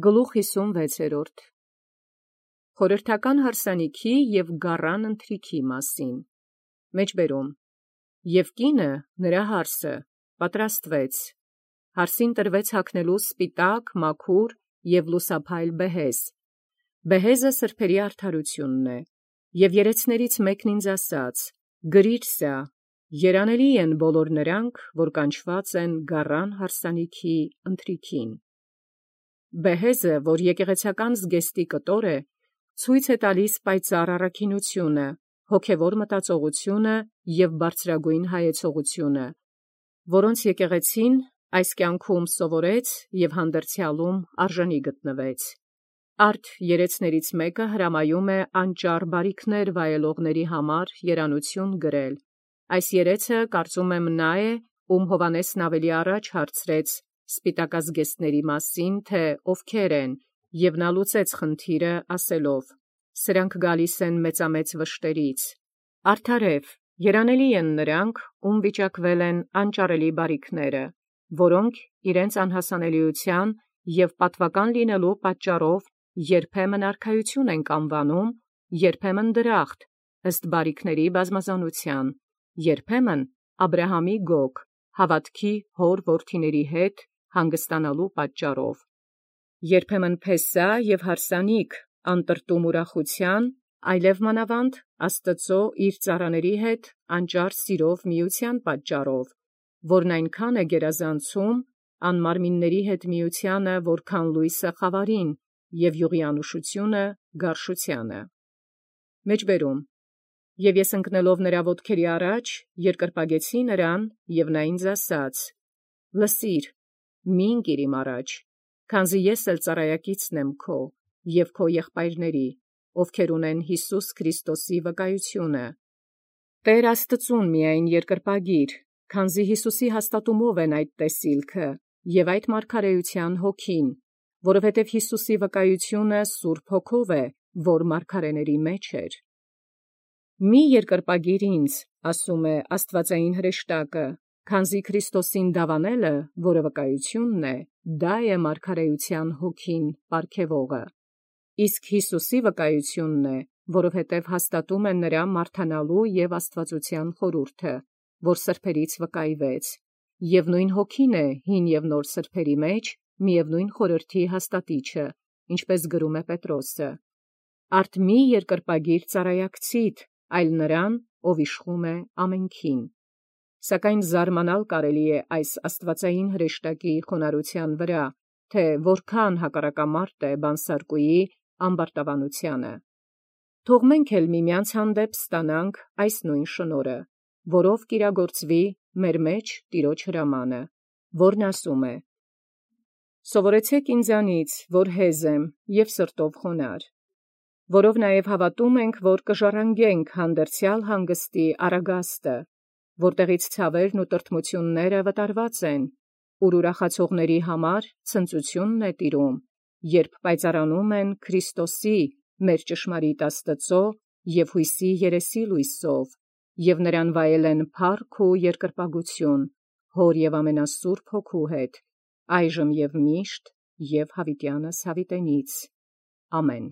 Գլուխ 56 Խորհրդական հարսանիքի և գառան ընթրիքի մասին։ Մեջբերում. Եւ կինը նրա հարսը պատրաստվեց, հարսին տրվեց հագնելու սպիտակ, մաքուր և լուսափայլ բեհեզ։ Բեհեզը սրբերի արդարութիւնն է, և երեցներից մեկն ինձ ասաց. գրիր սա, երանելի են բոլոր նրանք, որ կանչված են գառան հարսանիքի ընթրիքին։ Բեհեզը, որ եկեղեցական զգեստի կտոր է, ցույց է տալիս պայծառ առաքինությունը, հոգևոր մտածողությունը և բարձրագույն հայեցողությունը, որոնց եկեղեցին այս կյանքում սովորեց և հանդերձյալում արժանի գտնվեց։ Արդ երեցներից մեկը հրամայում է անճառ բարիքներ վայելողների համար երանություն գրել։ Այս երեցը կարծում եմ նա է, ում Հովհաննեսն ավելի առաջ հարցրեց սպիտակազգեստների մասին, թե ովքեր են, և նա լուծեց խնդիրը ասելով. սրանք գալիս են մեծամեծ վշտերից։ Արդարև, երանելի են նրանք, ում վիճակվել են անճառելի բարիքները, որոնք իրենց անհասանելիության և պատվական լինելու պատճառով երբեմն արքայություն են անվանում, երբեմն դրախտ, ըստ բարիքների բազմազանության, երբեմն Աբրահամի գոգ, հավատքի հոր որդիների հետ հանգստանալու պատճառով, երբեմն փեսա և հարսանիք անտրտում ուրախութեան, այլև մանավանդ Աստուծոյ իր ծառաների հետ անճառ սիրով միության պատճառով, որն այնքան է գերազանցում անմարմինների հետ միությանը, որքան լույսը խավարին, և յուղի անուշությունը գարշությանը։ Մեջբերում. Եւ ես ընկնելով նրա ոտքերի առաջ, երկրպագեցի նրան, և նա ինձ ասաց. լսիր, մի՛ ընկիր իմ առաջ, քանզի ես էլ ծառայակիցն եմ քո և քո եղբայրների, ովքեր ունեն Յիսուս Քրիստոսի վկայությունը։ Տէր Աստուծուն միայն երկրպագիր, քանզի Յիսուսի հաստատումով են այդ տեսիլքը և այդ մարգարեության հոգին, որովհետև Յիսուսի վկայությունը Սուրբ Հոգով է, որ մարգարեների մեջ էր։ Մի երկրպագիր ինձ, ասում է աստուածային հրեշտակը, քանզի Քրիստոսին դավանելը, որը վկայությունն է, դա է մարգարեության հոգին պարգևողը։ Իսկ Յիսուսի վկայությունն է, որովհետև հաստատում է նրա մարդանալու և աստվածության խորհուրդը, որ սրբերից վկայվեց, և նույն հոգին է հին և նոր սրբերի մեջ միևնույն խորհրդի հաստատիչը, ինչպես գրում է Պետրոսը. արդ մի երկրպագիր ծառայակցիդ, այլ նրան, ով իշխում է ամենքին։ Սակայն զարմանալ կարելի է այս աստուածային հրեշտակի խոնարհության վրա, թե որքան հակառակամարտ է բանսարկուի ամբարտավանությանը։ Թող մենք էլ միմյանց հանդեպ ստանանք այս նույն շնորհը, որով կիրագործվի մեր մեջ Տիրոջ հրամանը, որն ասում է. «Սովորեցէք ինձանից, որ հեզ եմ և սրտով խոնարհ, որով նաև հավատում ենք, որ կժառանգենք հանդերձյալ հանգստի առագաստը, որտեղից ցավերն ու տրտմութիւնները վտարված են, ուր ուրախացողների համար ցնծութիւնն է տիրում, երբ պայծառանում են Քրիստոսի մեր ճշմարիտ Աստուծոյ և յույսի երեսի լույսով, և նրան վայելեն փառք ու երկրպագություն, Հոր և ամենասուրբ Հոգու հետ, այժմ և միշտ և յաւիտյանս յաւիտենից. ամեն»։